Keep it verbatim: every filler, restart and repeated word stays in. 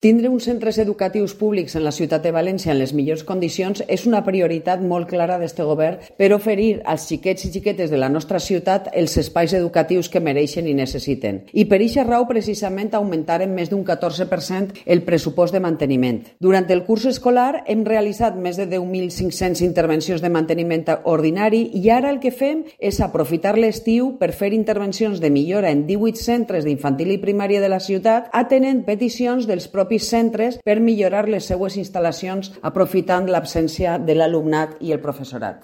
Tindre uns centres educatius públics en la ciutat de València en les millors condicions és una prioritat molt clara d'este govern per oferir als xiquets i xiquetes de la nostra ciutat els espais educatius que mereixen i necessiten. I per eixa raó, precisament, augmentarem més d'un catorze per cent el pressupost de manteniment. Durant el curs escolar hem realitzat més de deu mil cinc-cents intervencions de manteniment ordinari i ara el que fem és aprofitar l'estiu per fer intervencions de millora en divuit centres d'infantil i primària de la ciutat, atenent peticions dels propis centres per millorar les seues instal·lacions aprofitant l'absència de l'alumnat i el professorat.